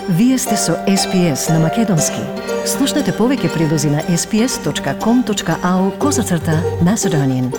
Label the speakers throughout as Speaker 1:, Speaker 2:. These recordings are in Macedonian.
Speaker 1: Вие сте со SPS на Македонски. Слушнете повеќе прилози на sps.com.au/Macedonian.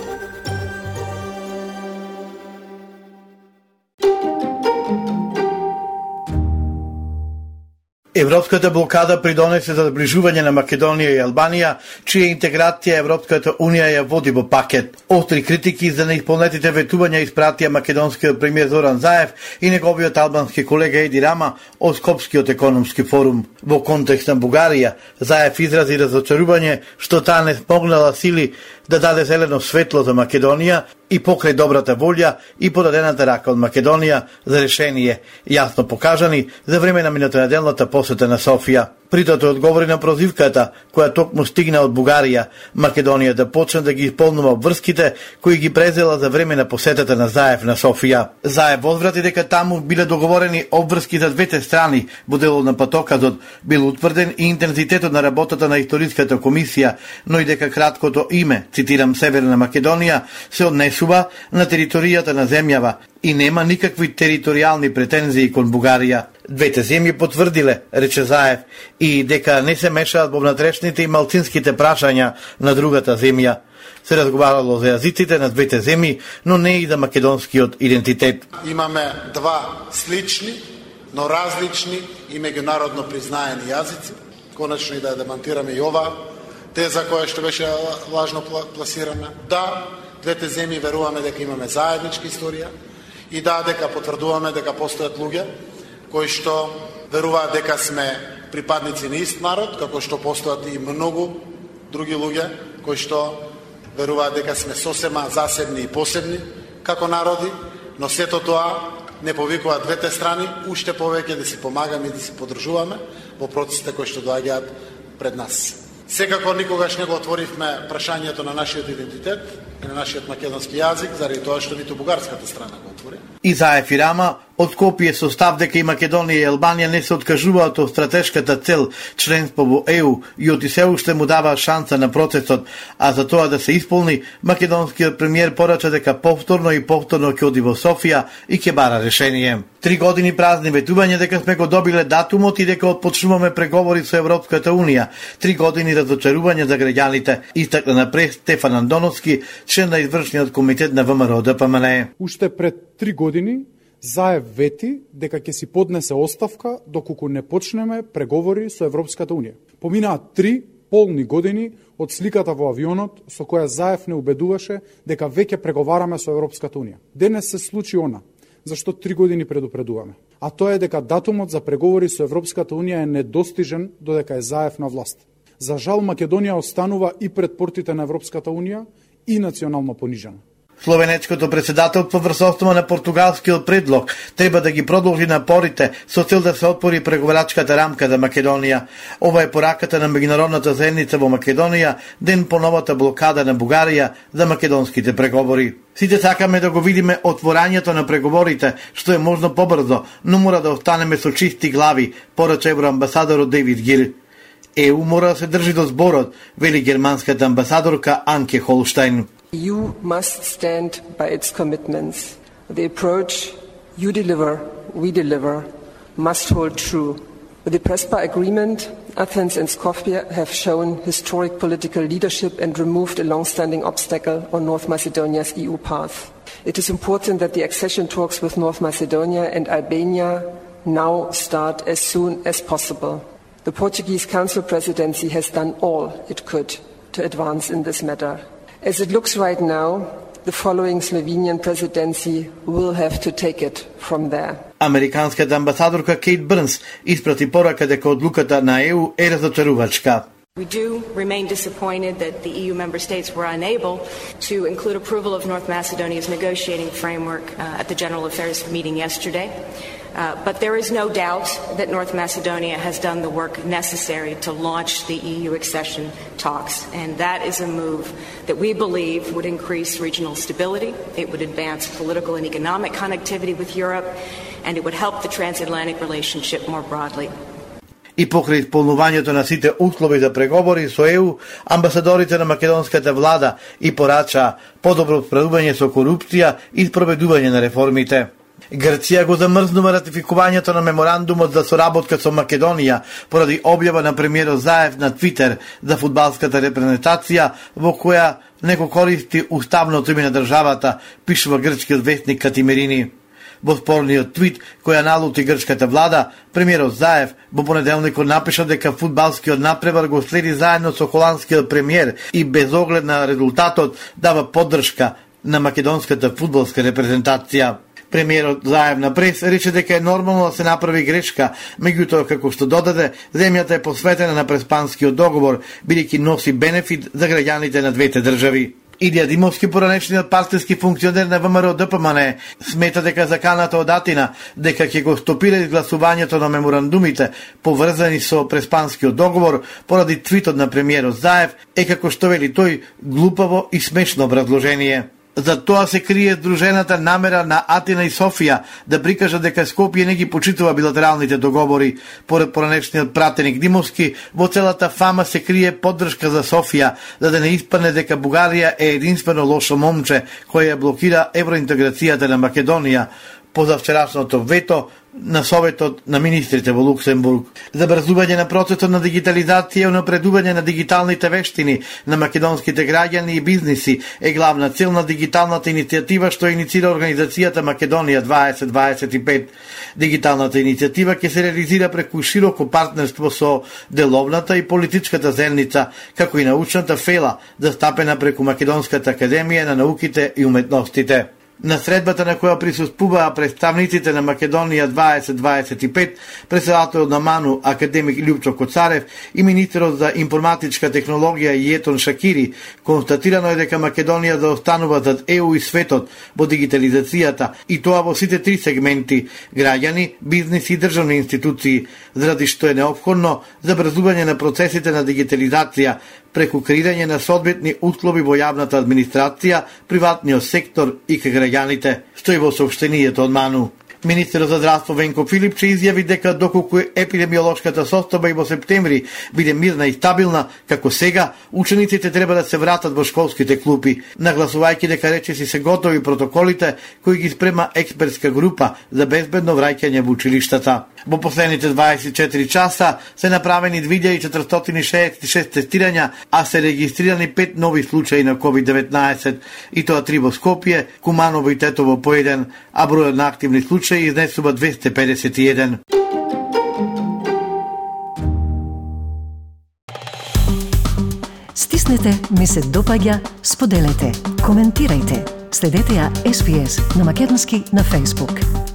Speaker 2: Европската блокада придонесе за зближување на Македонија и Албанија, чија интеграција Европската Унија ја води во пакет. Остри критики за неисполнетите ветувања испратија македонскиот премиер Зоран Заев и неговиот албански колега Еди Рама од Скопскиот економски форум. Во контекст на Бугарија, Заев изрази разочарување што таа не смогнала сили да даде зелено светло за Македонија и покрај добрата волја и подадената рака од Македонија за решение, јасно покажани за време на минатонеделната посета на Софија. Притоа тој одговори на прозивката која токму стигна од Бугарија, Македонија да почне да ги исполнува обврските кои ги презела за време на посетата на Заев на Софија. Заев возврати дека таму биле договорени обврски за двете страни, во делот на патоказот бил утврден и интензитетот на работата на историската комисија, но и дека краткото име, цитирам, Северна Македонија, се однесува на територијата на земјава и нема никакви територијални претензии кон Бугарија. Двете земји потврдиле, рече Заев, и дека не се мешаат во внатрешните и малцинските прашања на другата земја. Се разговарало за јазиците на двете земји, но не и за македонскиот идентитет.
Speaker 3: Имаме два слични, но различни и меѓународно признаени јазици. Конечно и да демантираме и ова теза која што беше лажно пласирана. Да, двете земји веруваме дека имаме заедничка историја и да, дека потврдуваме дека постојат луѓе кои што веруваат дека сме припадници на ист народ, како што постојат и многу други луѓе кои што веруваат дека сме сосема засебни и посебни како народи, но сето тоа не повикува двете страни уште повеќе да си помагаме и да си подржуваме во процесите кои што доаѓаат пред нас. Секако никогаш не го отворивме прашањето на нашиот идентитет и на нашиот македонски јазик, заради тоа што ниту бугарската страна го отвори.
Speaker 2: И Заев и Рама од Скопје со став дека и Македонија и Албанија не се откажуваат од стратешката цел членство во ЕУ и од се уште му дава шанса на процесот, а за тоа да се исполни, македонскиот премиер порача дека повторно ќе оди во Софија и ќе бара решение. 3 години празни ветување дека сме го добиле датумот и дека отпочнуваме преговори со Европската Унија. 3 години разочарување за граѓаните, истакна напред Стефан Андоновски, член на извршниот комитет на ВМРО ДПМН.
Speaker 4: Уште пред 3 години Заев вети дека ќе си поднесе оставка доколку не почнеме преговори со Европската Унија. Поминаа 3 полни години од сликата во авионот со која Заев не убедуваше дека веќе преговараме со Европската Унија. Денес се случи она зашто 3 години предупредуваме. А тоа е дека датумот за преговори со Европската Унија е недостижен додека е Заев на власт. За жал, Македонија останува и пред портите на Европската Унија и национално понижена.
Speaker 2: Словенечкото председателство врз основа на португалскиот предлог треба да ги продолжи напорите со цел да се отвори преговарачката рамка за Македонија. Ова е пораката на меѓународната заедница во Македонија ден по новата блокада на Бугарија за македонските преговори. Сите сакаме да го видиме отворањето на преговорите, што е можно побрзо, но мора да останеме со чисти глави, порача евроамбасадорот Дейвид Гил. ЕУ мора да се држи до зборот, вели германската амбасадорка Анке Холштайн.
Speaker 5: EU must stand by its commitments. The approach you deliver, we deliver, must hold true. With the Prespa Agreement, Athens and Skopje have shown historic political leadership and removed a long-standing obstacle on North Macedonia's EU path. It is important that the accession talks with North Macedonia and Albania now start as soon as possible. The Portuguese Council presidency has done all it could to advance in this matter. As it looks right now, the following Slovenian presidency will have to take it from there.
Speaker 2: Американската амбасадорка Кейт Брнс испрати порака дека одлуката на ЕУ е разочарувачка.
Speaker 6: We do remain disappointed that the EU member states were unable to include approval of North Macedonia's negotiating framework at the General Affairs meeting yesterday. But there is no doubt that North Macedonia has done the work necessary to launch the EU accession talks, and that is a move that we believe would increase regional stability, it would advance political and economic connectivity with Europe, and it would help the transatlantic relationship more broadly.
Speaker 2: И покрај исполнувањето на сите услови за преговори со ЕУ, амбасадорите на македонската влада и порача подобро справување со корупција и спроведување на реформите. Грција го замрзнува ратификувањето на меморандумот за соработка со Македонија поради објава на премиерот Заев на Твитер за фудбалската репрезентација во која не го користи уставното име на државата, пишува грчкиот вестник Катимерини. Во спорниот твит која налути грчката влада, премиерот Заев во понеделникот напиша дека фудбалскиот напревар го следи заедно со холандскиот премиер и без оглед на резултатот дава поддршка на македонската фудбалска репрезентација. Премиерот Заев на прес рече дека е нормално да се направи грешка, меѓутоа како што додаде, земјата е посветена на Преспанскиот договор, бидејќи носи бенефит за граѓаните на двете држави. Илија Димовски, поранешниот партиски функционер на ВМРО ДПМН, смета дека заканата од Атина дека ќе го стопира изгласувањето на меморандумите поврзани со Преспанскиот договор поради твитот на премиерот Заев е, како што вели тој, глупаво и смешно образложение. За тоа се крие здружената намера на Атина и Софија да прикажат дека Скопје не ги почитува билатералните договори. Поред поранешниот пратеник Димовски, во целата фама се крие поддршка за Софија, за да не испадне дека Бугарија е единствено лошо момче кој ја блокира евроинтеграцијата на Македонија по завчерашното вето на Советот на министрите во Луксембург. Забрзување на процесот на дигитализација и унапредување на дигиталните вештини на македонските граѓани и бизниси е главна цел на дигиталната иницијатива што иницира организацијата Македонија 2025. Дигиталната иницијатива ќе се реализира преку широко партнерство со деловната и политичката заедница, како и научната фела застапена преку Македонската академија на науките и уметностите. На средбата на која присуствуваа представниците на Македонија 2025, председателот на МАНУ академик Љупчо Коцарев и министерот за информатичка технологија Јетон Шакири, констатирано е дека Македонија заостанува зад ЕУ и светот во дигитализацијата, и тоа во сите три сегменти: граѓани, бизнис и државни институции, заради што е неопходно забрзување на процесите на дигитализација преку креирање на соодветни услови во јавната администрација, приватниот сектор и кај граѓаните, стои во соопштението од МАНУ. Министерот за здравство Венко Филипче изјави дека доколку епидемиолошката состојба и во септември биде мирна и стабилна, како сега, учениците треба да се вратат во школските клупи, нагласувајќи дека речиси се готови протоколите кои ги спрема експертска група за безбедно враќање во училиштата. Во последните 24 часа се направени 2466 тестирања, а се регистрирани 5 нови случаи на COVID-19, и тоа 3 во Скопје, Куманово и Тетово по 1, а бројот на активни случаи изнесува 251.
Speaker 1: Стиснете, ми се допаѓа, споделете, коментирајте. Следете ја SPS на Македонски на Facebook.